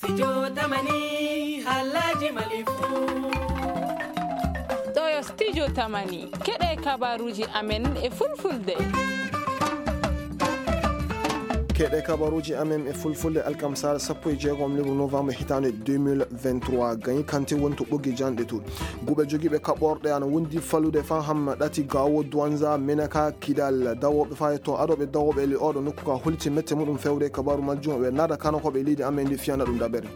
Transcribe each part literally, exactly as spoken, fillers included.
Studio Tamani, haalaaji Mali fuu. Ɗo yo Studio Tamani. Keɗee kabaaruuji amen e Fulfulde. Keɗee kabaaruuji amen e Fulfulde, alkamsaare sappo e jeegom lewru novembre hitaande deux mille vingt-trois. Gayi Kante woni to ɓoggi janɗe to. Guɓe jogiiɓe kaɓɓorɗe ana wondi falude faa hamma ɗati Gaawo, Douentza, Menaka, Kidal. Dawooɓe faa e to adooɓe dawooɓe e ley ooɗoo nokku ka holliti mette muɗum fewde kabaaru majjum. Ɓe naada kano ko ɓe leydi amen ndi fiyana ɗum dabere.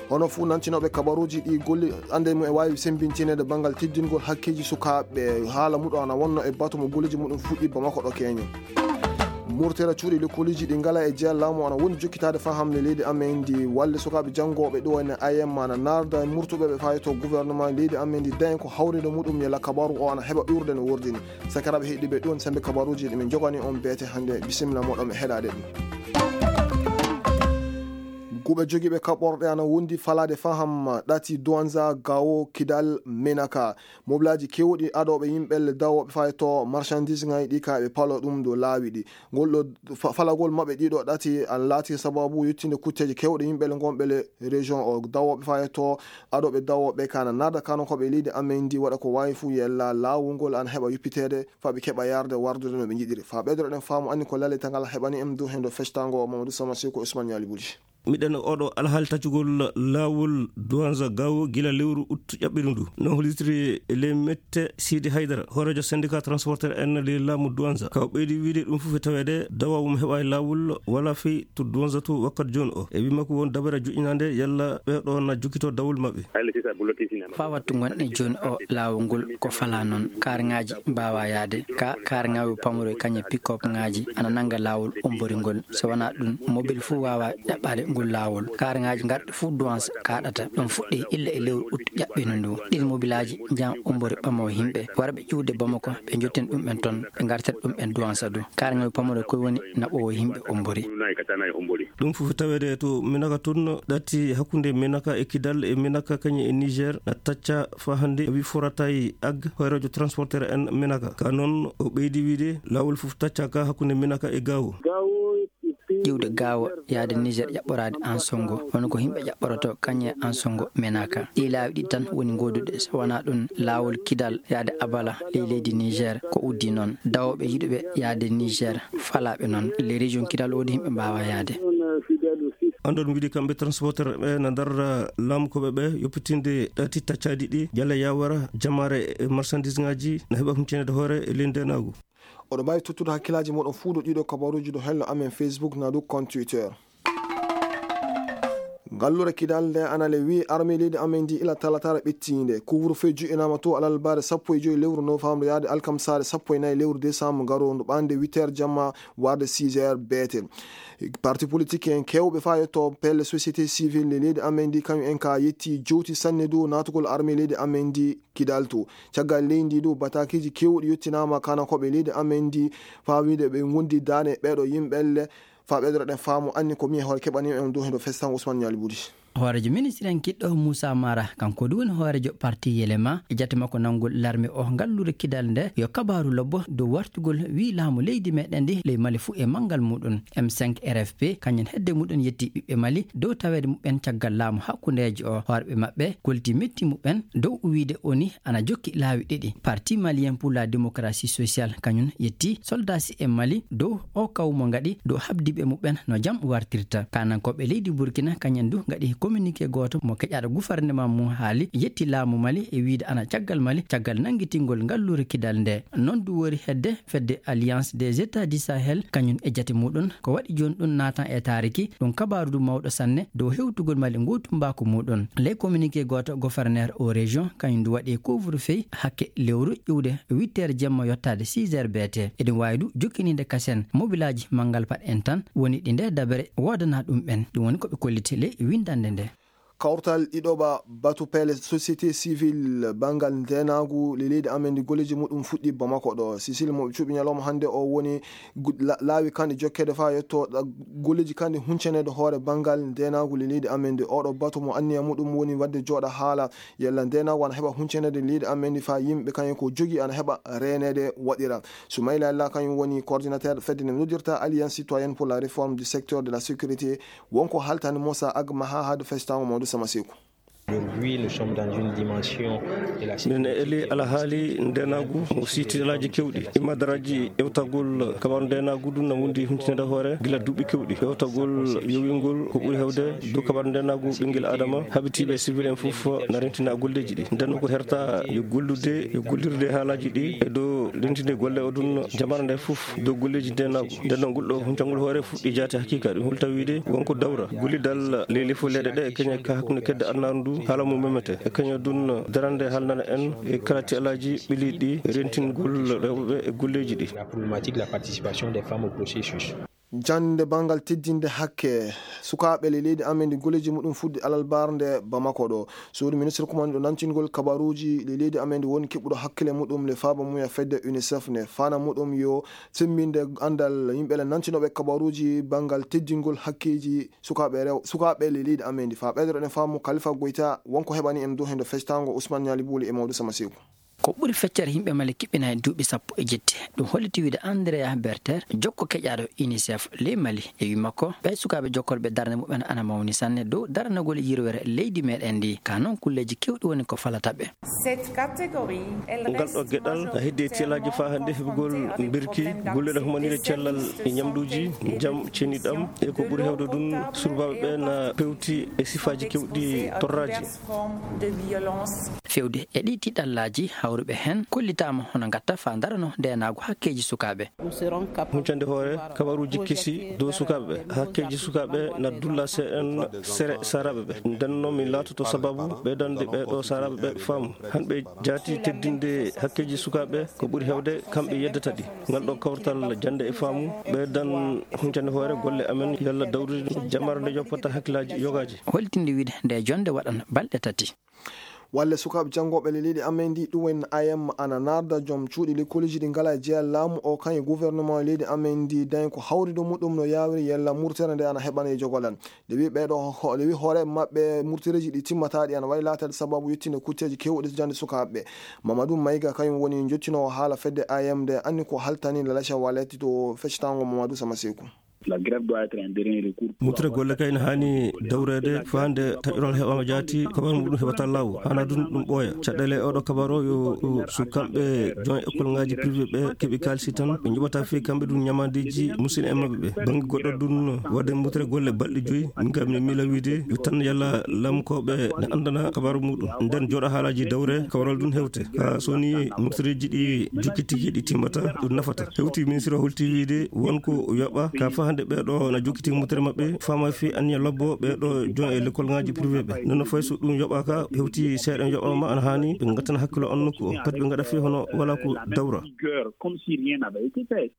Hono fuu nantinooɓe kabaaruuji ɗi golle annde mum e waawi semmbintineede banngal teddingol hakkeeji sukaaɓe. Haala muɗum ana wonno e batu mo golleeji muɗum fuɗɗi Bamako ɗo Keñe. Murtere cuuɗi lekkooliji ɗi ngalaa e jeyaa laamu ana woni jokkitaade faa hamle leydi amen ndi. Walde sukaaɓe janngooɓe ɗo ene ayemma ana naarda e murtuɓe ɓe faayi to gouvernement leydi amen ndi dañi ko hawrinde muɗum yalla kabaaru o ana heɓa ɓurde no wordini. Sakiraaɓe heɗiiɓe ɗum sembe kabaaruuji ɗi min njogani on beete hannde. Bisimilla moɗon e heɗaade ɗum. Guɓe jogiiɓe kaɓɓorɗe ana wondi falaade faham ɗati Douentza, Gao, Kidal, Menaka. Mobilaaji keewɗi adooɓe yimɓe le dawooɓe faa e to marchandise ŋaaji ɗi ka ɓe palo ɗum dow laawi ɗi. Ngol ɗo fa-, falagol maɓɓe ɗiɗo ɗati ana laati sababu yettinde kutteeji keewɗe yimɓe le ngonɓe le région o. Dawooɓe faa e to adooɓe dawooɓe kana naada kano ko ɓe leydi amen ndi waɗa ko waawi fuu yella laawol ngol ana heɓa yuppiteede faa ɓe keɓa yarde wardude no ɓe njiɗiri. Faa ɓeydoro ɗen faamu anni ko laletangal heɓani en dow hendo fectango Mamadou Sama Seko Ousmane Ñaali Buli. Miɗen oɗo alhaali taccugol laawol Douentza Gao gila lewru ut ƴaɓɓiru ndu. No hollitiri e ley mette Sidi Haydara, hooreejo syndicat transporteur en ley laamu Douentza. Ka o ɓeydi wiide ɗum fof e taweede dawaawu mo heɓaali laawol wala fii to Douentza to wakkati jooni o. E wii makko won dabare joƴƴinaande yalla ɓee ɗoo na jokkitoo dawol maɓɓe. Faa wattu ngonɗen jooni o laawol ngol ko falaa noon. Kaarŋaaji mbaawaa yaade. Ka kaarŋaaji pamre kañe pick-up ŋaaji ana nannga laawol ommbori ngol. So wanaa ɗum, mobil fof waawaa ƴaɓɓaade ngol laawol. Kaarŋaaji ngarɗi fof Douentza kaaɗata. Ɗum fuɗɗii illa e lewru ut ƴaɓɓiindu ndu. Ɗiin mobilaaji njahan ommbori ɓamoo yimɓe. Warɓe ƴuwde Bamako, ɓe njotten ɗum en toon, ɓe ngartira ɗum en Douentza du. Kaarŋaaji pamre koy woni naɓoowo yimɓe ommbori. Ɗum fof taweede to Menaka toon, ɗati hakkunde Menaka e Kidal e Menaka kañum e Niger na tacca faa hannde, wi Foratay Ag, hooreejo transporteur en Menaka. Ka noon, o ɓeydi wiide, laawol fof tacca ka hakkunde Menaka e Gao. Iwde Gao yaade Niger ƴaɓɓoraade Ansongo, woni ko yimɓe ƴaɓɓorotoo kañum e Ansongo Menaka. Ɗii laawi ɗiɗi tan woni ngooduɗe, so wanaa ɗum, laawol Kidal yaade Abala ley leydi Niger ko uddii noon. Dawooɓe yiɗuɓe yaade Niger falaaɓe noon. Les régions Kidal woodi yimɓe mbaawaa yaade. Anndon wiide kamɓe transporteur ɓe na ndarra laamukooɓe ɓe yoppitinde ɗati taccaaɗi ɗi, Jalla Yawara, jamaare e marchandise ŋaaji na heɓa humpitineede hoore e ley ndeenaagu. Oɗo mbaawi tottude hakkillaaji mooɗon fuu dow ɗiɗo kabaaruuji dow hello amen Facebook naa dow compte Twitter. Ngalluure Kidal nde ana le wii armée leydi amen ndi ila talataare ɓettiinde. Couvre-feu joƴƴinaama to alarbaare sappo e joy lewru novembre yaade alkamsaare sappo e nayi lewru décembre garoondu ɓaande huit heures jamma warde six heures beete. Parti politique en keewɓe faa yetto pelle société civile leydi amen ndi kañum en ka yetti jowti sanne dow naatugol armée leydi amen ndi Kidal to. Caggal leydi ndi dow bataakiiji keewɗi yettinaama kanakooɓe leydi amen ndi faa wiide ɓe ngondi daane ɓeeɗo yimɓe elle. Faa ɓeydoro ɗen faamu anni ko mi e hoore keɓani en dow hendo festan Ousmane Ñaali Budi. Hooreejo ministre en kiɗɗo Moussa Mara, kanko du woni hooreejo parti Yelema, e jate makko nanngol larme o ngalluure Kidal nde, yo kabaaru lobbo dow wartugol wii laamu leydi meɗen ndi ley Mali fuu e manngal muɗum. M cinq R F P, kañum hedde muɗum yetti ɓiɓɓe Mali dow taweede muɓɓen caggal laamu hakkundeejo o. Hoorɓe maɓɓe kolti metti muɓɓen dow wiide oni ana jokki laawi ɗiɗi. Parti Malien pour la Démocratie Sociale kañum yetti soldaasi e Mali dow o kaw mo ngaɗi dow habdiiɓe muɓɓen no jam wartirta. Kaanankooɓe leydi Burkina kañum du ngaɗi communiqué gooto mo keƴaaɗo gouvernement mum haali yetti laamu Mali e wiide ana caggal Mali caggal nanngitingol ngalluure Kidal nde. Noon du wori hedde fedde Alliance des États du Sahel kañum e jate muɗum ko waɗi jooni ɗum naatan e taariki. Ɗum kabaaru du mawɗo sanne dow hewtugol Mali ngootumbaaku muɗum. Ley communiqué gooto, gouverneur o région kañum du waɗi couvre-feu hakke lewru iwde huit heures jemma yottaade six heures beete. Eɗum waawi du jokkiniinde kasen mobilaaji manngal paɗ en tan woni ɗi nde dabere woodana ɗum ɓen. Ɗum woni ko ɓe kolliti ley winndannde nde. Kawtal ɗiɗoɓa batu peele société civile banngal ndeenaagu ley leydi amen ndi golleeji muɗum fuɗɗii Bamako ɗo. Sisil mo ɓe cuɓi ñalawma hannde o woni gu- la- laawi kanɗe jokkeede faa yetto ɗa- golleeji kanɗe huncaneede hoore banngal ndeenaagu ley leydi amen ndi. Oɗo batu mo anniya muɗum woni waɗde jooɗa haala yalla ndeenaagu ana heɓa huncaneede leydi amen ndi faa yimɓe kañum ko jogi ana heɓa reeneede waɗira. Soumaïla Alla kañum woni coordinateur fedde nde noddirta Alliance Citoyenne pour la Réforme du Secteur de la Sécurité. Wonko haltani Moussa Ag Maha haade fectaango Mamadou Sama Seku. Aujourd'hui, nous sommes dans une dimension de la minen e eli alhaali ndeenaagu mo siiti alaaji kewɗi. Imadaraaji ewtagol kabaaru ndeenaagu ɗum na wondi huntinaade hoore gila duuɓi kewɗi. Ewtagol yowingol ko ɓuri heewde dow kabaaru ndeenaagu ɓinngel Adama, haɓitiiɓe sivil en fof na rentina golleeji ɗi. Nden ko herta yo gollude, yo gollirde haalaaji ɗi e dow lentinde golle o ɗum jamara nde fof dow golleeji ndeenaagu. Nden ngol ɗo huncangol hoore fuɗɗi jaati hakiika. Ɗum hol tawi wiide wonko dawra gollidal ley lefol leyɗe ɗe e keñe ka hakkunde kedde adunaaru ndu haala mum memete. E keñe ɗum darande haalnana en e kala tialaaji ɓiliiɗi rentingol rewɓe ɓe e golleeji ɗi. La problématique de la participation des femmes au processus. Jannde banngal teddinde hakke sukaaɓe ley leydi amen ndi golleeji muɗum fuɗɗi alarba nde Bamako ɗo. Suudu ministre kumanɗo nantingol kabaruuji ley leydi amen ndi woni keɓuɗo hakkille muɗum le faaba mum e fedde UNICEF nde. Fana muɗum yo semmbinde anndal yimɓe le nantinooɓe kabaruuji banngal teddingol hakkeeji sukaaɓe rew- sukaaɓe ley leydi amen ndi. Faa ɓeydoɗen faamu Kalifa Goyta wonko heɓani en dow heen do fectaango Ousmane Ñaali Buuli e Mawdo Sama Seeku. Ko ɓuri feccere yimɓe Mali kiɓɓina e duuɓi sappo e jetti. Ɗum holliti wiide Andrea Berter, jokko keƴaaɗo UNICEF ley Mali e wii makko, ɓee sukaaɓe jokkorɓe darnde muɓɓen ana mawni sanne dow daranagol yirwere leydi meɗen ndi. Ka non kulleeji kewɗi woni ko falata ɓe. Cette catégorie, elle ngal ɗo reste geɗal na heddi e tiyalaaji faa hannde heɓugol mbirki, golle ɗe humanire cellal e ñamduuji, jam ceniɗam, e ko ɓuri heewde ɗum surbaaɓe ɓe na pewti e sifaaji kewɗi torraaji. Forme de violence. Fewde e ɗii tiiɗallaaji hawruɓe heen kollitaama hono ngatta faa ndarano ndeenaagu hakkeeji sukaaɓe. Huncande hoore kabaruuji kesi dow sukaaɓe ɓe. Hakkeeji sukaaɓe na dulla seeɗan sere saaraaɓe ɓe. Nden non min laatoto sababu ɓeydande ɓee ɗoo saaraaɓe ɓe faamu. Han ɓe jaati teddinde hakkeeji sukaaɓe ko ɓuri heewde kamɓe yeddata ɗi. Ngal ɗoo kawtal jannde e faamu ɓeydan huncande hoore golle amen yalla dawrude jamara nde yoppata hakkillaaji yogaaji. Holtinde wiide nde jonnde waɗan balɗe tati. Walle sukaaɓe janngooɓe ley leydi amen ndi, ɗum en A M ana naarda joom cuuɗi lekkooliji ɗi ngalaa e jeyaa laamu o, kañum e gouvernement leydi amen ndi, dañi ko hawri dow muɗum no yaawiri yalla murtere nde ana heɓani e jogolal. Nde wi ɓee ɗoo ho-, nde wi hoore maɓɓe murtereeji ɗi timmataa ɗi ana waawi laataade sababu yettinde kutteeji keewɗi to jannde sukaaɓe ɓe. Mamadou Maïga kañum woni njottinoowo haala fedde A M nde, anni ko haltani Lalacha Wallet to feccitaango Mamadou Sama Seeku. La grève doit être un dernier recours. Mutre golle kay ne haani dawreede faa nde taƴoral heɓaama jaati, kabaru muɗum heɓata laawol. Haanaa ɗum ɗum ɓooya. Caɗeele e oɗo kabaru o yo, yo sukamɓe jon ekkolŋaaji privé ɓe keɓi kaalisi tan, ɓe njoɓata fii kamɓe ɗum ñamaandeeji musidɓe maɓɓe ɓe. Bannge goɗɗo ɗum waɗde mutre golle balɗe joyi, min kam mi miila wiide yo tan yalla laamukooɓe ne anndana kabaru muɗum. Nden jooɗa haalaaji dawre, kabaral ɗum hewte. Kaa so woni murtereeji ɗi jokkitiki ɗi timmata, ɗum nafata. Hewti ministre o holti wiide won ko yoɓa ka faa hannde ɓee ɗoo na jokkiti murtere maɓɓe, faama fii anniya lobbo ɓee ɗoo jon e lekkolŋaaji privé ɓe. Non no fay so ɗum yoɓaaka, hewti seeɗa yoɓaama ana haani ɓe ngattana hakkilo on nokku o. Pati ɓe ngaɗa fii hono walaa ko dawra. Comme si rien n'avait été fait.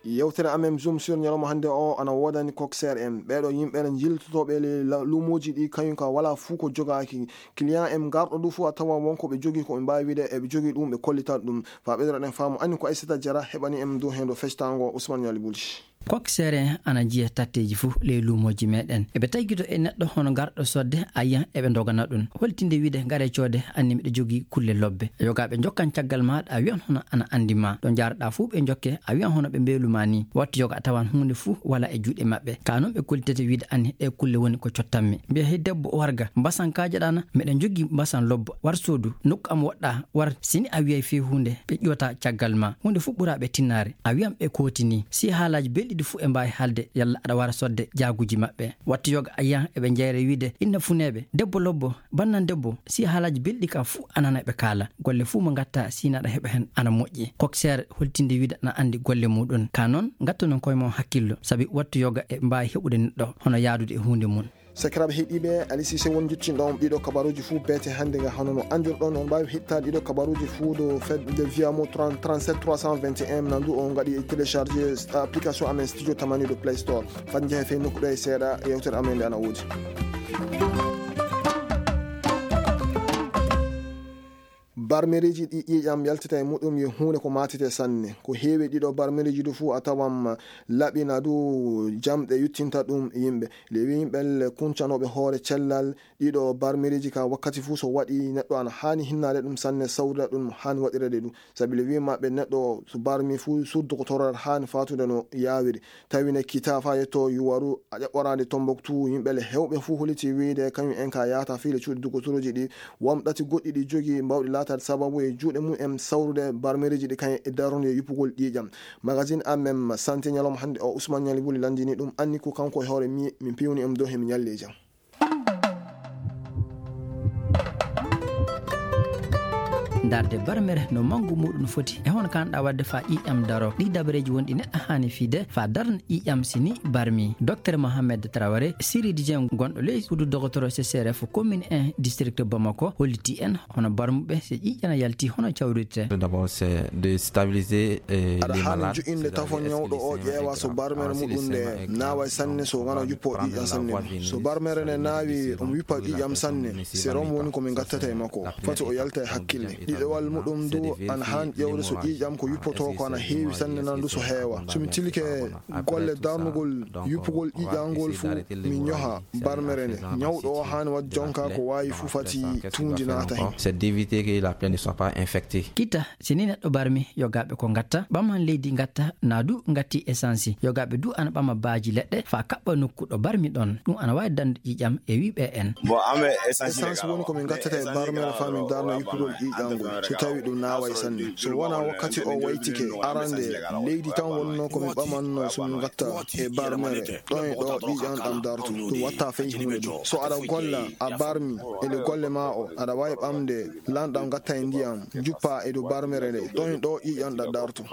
Yewtere amen Zoom sur ñalawma hannde o ana woodani coxeur en. Ɓee ɗoo yimɓe ene njiltotooɓe e ley la-, luumooji ɗi, kañum ka walaa fuu ko jogaaki. Client en garɗo ɗum fuu a tawa won ko ɓe jogii ko ɓe mbaawi wiide eɓe jogii ɗum, ɓe kollitat ɗum. Faa ɓeydoɗen faamu, anni ko Aissata Diarra heɓani en dow heen ɗo fectaango Ousmane Ñaali Bulji. Coxeur en ana njiya tatteeji fuu ley luumooji meɗen. Eɓe taygito e neɗɗo hono garɗo sodde, a yiyan eɓe ndogana ɗum. Holtinde wiide, "Ngaree coode, anni miɗo jogii kulle lobbe." Yogaaɓe njokkan caggal maaɗa, a wiyan hono ana anndi ma. Ɗo njaaruɗaa fuu ɓe njokke, a wiyan hono ɓe mbeelu ma nii. Wattu yoga a tawan huunde fuu walaa e juuɗe maɓɓe. Kaa non ɓe kollitete wiide, "Anni ɗee kulle woni ko cottanmi." Mbiya, "Hey debbo, warga, mbasan kaajaɗaa na?" "Miɗo jogii mbasan lobbo, war soodu, nokku am woɗɗaa, war, si ni a wiyay fii huunde, ɓe ƴiwata caggal ma. Huunde fuu ɓuraa ɓe tinnaare." A wiyan ɓe kooti nii. Si haalaaji belɗi ɗi fuu e mbaawi haalde, yalla aɗa wara sodde jaaguuji maɓɓe. Wattu yoga a yiyan eɓe njeyra wiide, "Inna funeeɓe, debbo lobbo, bannan debbo." Si haalaaji belɗi ka fuu a nana ɓe kaala. Golle fuu mo ngatta si naɗa heɓa hen ana moƴƴi. Coxeur holtinde wiide ana anndi golle muɗum. Ka non, ngattu non koye mon hakkillo, sabi wattu yoga e mbaawi heɓude neɗɗo hono yaadude e huunde mum. Sakiraaɓe heɗiiɓe, Alisi Sewo njottinɗo on ɗiɗo kabaruuji fuu beete hannde nga. Hono no anndirɗon, on mbaawi heɗtaade ɗiɗo kabaruuji fuu dow fedde Viamo trente, trente-sept trois cent vingt et un. Nandu on ngaɗi télécharger application amen Studio Tamani ɗo Play Store. Fat njahe fey nokku ɗo e seeɗa, yewtere amen nde ana woodi. Barmereeji ɗi ƴiiƴam yaltata e muɗum yo huunde ko maatete sanne. Ko heewi ɗiɗo barmereeji du fuu a tawan laɓi na du jamɗe yuttinta ɗum yimɓe. Lewi yimɓe kuncanooɓe hoore cellal ɗiɗo barmereeji ka wakkati fuu so waɗi neɗɗo ana haani hinnaade ɗum sanne, sawrida ɗum haani waɗirede ɗum. Sabi lewi maɓɓe neɗɗo so barmi fuu suudu dogotoral haani faatude no yaawiri. Tawi ne kitaa faa yetto Yuwaru a ƴaɓɓoraande Tombouctou, yimɓe le heewɓe fuu holiti wiyde kañum en ka yaata fii le cuuɗi dogotorooji ɗi. Won ɗati goɗɗi ɗi jogii mbawɗi laataade sababu e juuɗe mum en sawrude barmereeji ɗi kañum e darnude yuppugol ƴiiƴam. Magazine amen Santé ñalawma hannde o Ousmane Ñali Wuli lanndini ɗum, anni ko kanko e hoore mi-, min piwni en dow he mi ñalli e jam. Darde barmere no manngu muɗum foti e hono kaanɗaa waɗde faa ƴiiƴam daro. Ɗii dabareeji won ɗi neɗɗo haani fiyde faa darna ƴiiƴam si ni barmi. Docteur Mohamed Traoré, chirurgien gonɗo ley suudu dogotoro C C R F commune un district Bamako, holliti en hono barmuɓe so ƴiiƴam yalti hono cawrirte. Aɗa haani joƴƴinde tafo ñawɗo oo ƴeewa so barmere muɗum nde naaway sanne, so wanaa yuppoo ƴiiƴam sanne ni. So barmere nde naawi, omo yuppa ƴiiƴam sanne. Serum woni ko min ngattata e makko. Fati o yalta e hakkille. Ɗiɗawal muɗum du, ana haani ƴeewde so ƴiiƴam ko yuppotoo ko ana heewi sanne nan du so heewa. So mi tilike golle darnugol yuppugol ƴiiƴam ngol fuu, mi ñoha barmere nde. Ñawɗo oo haani waɗde jonkaa ko waawi fuu fati tuundi naata hen. C'est d'éviter que la plaie ne soit pas infectée. Kita, si ni neɗɗo barmi, yogaaɓe ko ngatta, ɓaman leydi ngatta, naa du ngatti essence. Yogaaɓe du ana ɓama baaji leɗɗe, faa kaɓɓa nokku ɗo barmi ɗon. Ɗum ana waawi dande ƴiiƴam e wii ɓe en. Essence woni ko min ngattata e barmere faa min darna yuppugol ƴiiƴam ngol, so tawi ɗum naaway sanne. So wanaa wakkati o waytike, arande leydi tan wonnoo ko min ɓamannoo so min ngatta e barmere, ɗon e ɗo ƴiiƴam ɗam darto. Ɗum watta fey huunde ɗum. So aɗa golla, a barmi, e nde golle maa o, aɗa waawi ɓamde lanɗam ngatta e ndiyam, njuppa e dow barmere nde, ɗon e ɗo ƴiiƴam ɗam darto.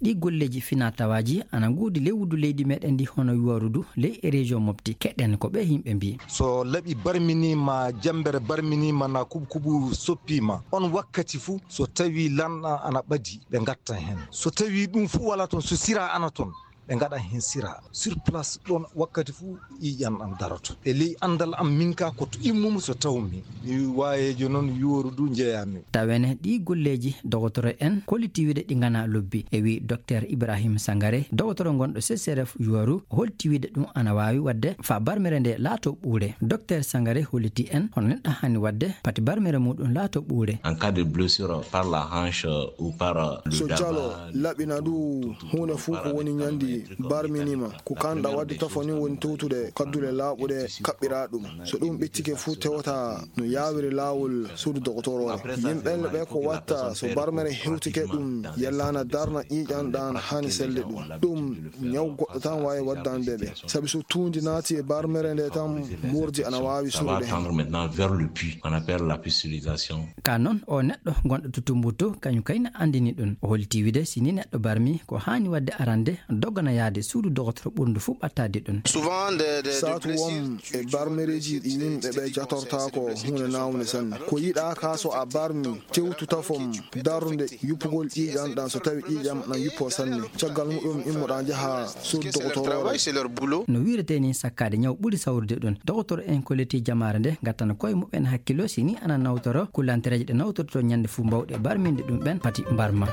Ɗii golleeji finaa-tawaaji ana ngoodi ley wuddu leydi meɗen ndi hono Yuwaru du ley e région Mopti. Keɗen ko ɓee yimɓe mbii. So laɓi barminiima, jammbere barminiima, naa kubukubu soppiima, on wakkati fuu, so tawii lanɗam ana ɓadii, ɓe ngattan hen. So tawii ɗum fuu walaa toon, so siraa ana toon, ɓe ngaɗan hen siraa. Sur place ɗoon wakkati fuu ƴiiƴam ɗam daroto. E ley anndal am min kaa ko to immumi so tawmi. Mi waayeejo noon, Yuwaru du njeyaami. Tawene ɗii golleeji dogotoro en kollitii wiide ɗi nganaa lobbi. E wii Dokteer Ibrahim Sangare, dogotoro gonɗo C C R F Yuwaru, holti wiide ɗum ana waawi waɗde faa barmere nde laatoo ɓuure. Dokteer Sangare holliti en hono neɗɗo haani waɗde pati barmere muɗum laatoo ɓuure. En cas de blessure par la hanche ou par le So jalo laɓi na du huunde fuu ko woni ñandi barminiima. Ko kaanɗaa waɗde tafo nii woni towtude kaddule laaɓuɗe kaɓɓiraa ɗum. So ɗum ɓettike fuu tewata no yaawiri laawol suudu dogotoroore. Yimɓe ɓe ko watta so barmere hewtike ɗum yellaana darna ƴiiƴam ɗam haani selde ɗum. Ɗum ñaw goɗɗo tan waawi waddande ɓe. Sabi so tuundi naati e barmere nde tan, moordi ana waawi suuɗude hen. Maintenant vers le puits, on appelle la pasteurisation. Ka non, oo neɗɗo gonɗo to Tumbuktu, kañum kay na anndini ɗum. O hollitii wiide, si ni neɗɗo barmi, ko haani waɗde arande, dogana yaade suudu dogotoro ɓurndu fuu ɓattaade ɗum. Saatu won e barmereeji ɗi yimɓe ɓe jatortaako huunde naawnde sanne. Ko yiɗaa kaa so a barmi, tewtu tafom darnde yuppugol ƴiiƴam ɗam so tawi ƴiiƴam na yuppoo sanne. Caggal muɗum immoɗaa njahaa suudu dogotoroore. No wiiretee nii sakkaade ñaw ɓuri sawrude ɗum. Dogotoro en kollitii jamaare nde ngattana koye muɓɓen hakkillo si ni ana nawtoro, kullantereeje ɗe nawtortoo ñande fuu mbaawɗe barminde ɗum ɓen pati mbarma.